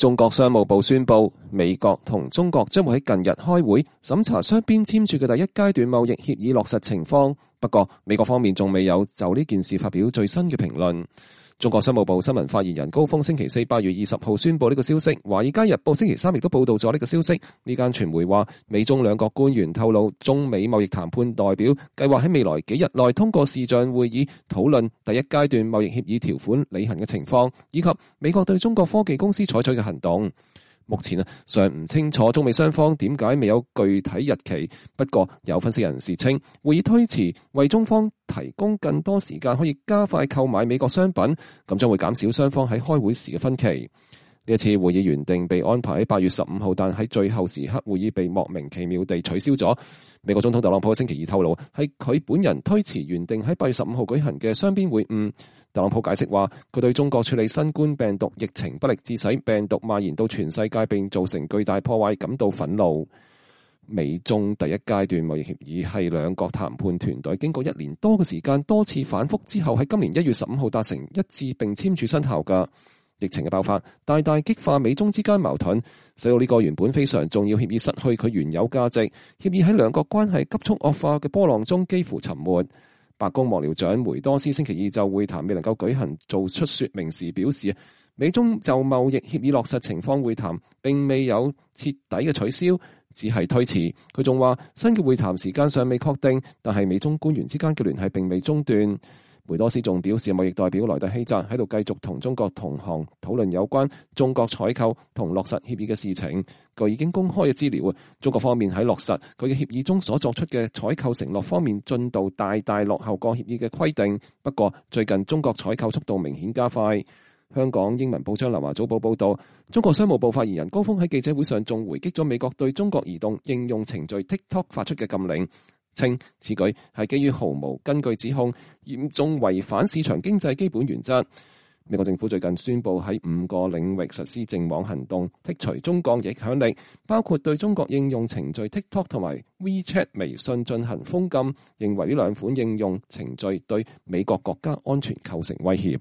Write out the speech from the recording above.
中國商務部宣布，美國同中國將會喺近日開會審查雙邊簽署嘅第一階段貿易協議落實情況。不過，美國方面仲未有就呢件事發表最新嘅評論。中國商務部新聞發言人高峰星期四8月20號宣布呢個消息，華爾街日報星期三亦都報道咗呢個消息。呢間傳媒話，美中兩國官員透露，中美貿易談判代表計劃喺未來幾日內通過視像會議討論第一階段貿易協議條款履行嘅情況，以及美國對中國科技公司採取嘅行動。目前尚唔清楚中美雙方點解未有具體日期，不過有分析人士稱，會議推遲為中方提供更多時間可以加快購買美國商品，咁將會減少雙方喺開會時嘅分歧。呢一次會議原定被安排喺8月15號，但喺最後時刻會議被莫名其妙地取消咗。美國總統特朗普星期二透露，係佢本人推遲原定喺8月15號舉行嘅雙邊會晤。特朗普解釋話，佢對中國處理新冠病毒疫情不力，致使病毒蔓延到全世界並造成巨大破壞感到憤怒。美中第一階段貿易協議係兩國談判團隊經過1年多嘅時間多次反覆之後，喺今年1月15號達成一致並簽署生效㗎。疫情嘅爆發大大激化美中之間矛盾，使到呢個原本非常重要協議失去佢原有價值。協議喺兩國關係急速惡化嘅波浪中幾乎沉沒。白宮幕僚長梅多斯星期二就會談未能夠舉行做出說明時表示，美中就貿易協議落實情況會談並未有徹底嘅取消，只係推遲。佢仲話新嘅會談時間尚未確定，但係美中官員之間嘅聯繫並未中斷。梅多斯仲表示，貿易代表萊特希澤喺度繼續同中國同行討論有關中國採購同落實協議嘅事情。據已經公開嘅資料，中國方面喺落實佢嘅協議中所作出嘅採購承諾方面進度大大落後過協議嘅規定。不過最近中國採購速度明顯加快。香港英文報章南華早報報道，中國商務部發言人高峰喺記者會上仲回擊咗美國對中國移動應用程序 TikTok 發出嘅禁令，稱此舉係基於毫無根據指控，嚴重違反市場經濟基本原則。美國政府最近宣布喺5個領域實施淨網行動，剔除中國影響力，包括對中國應用程序 TikTok 同埋 WeChat 微信進行封禁，認為呢兩款應用程序對美國國家安全構成威脅。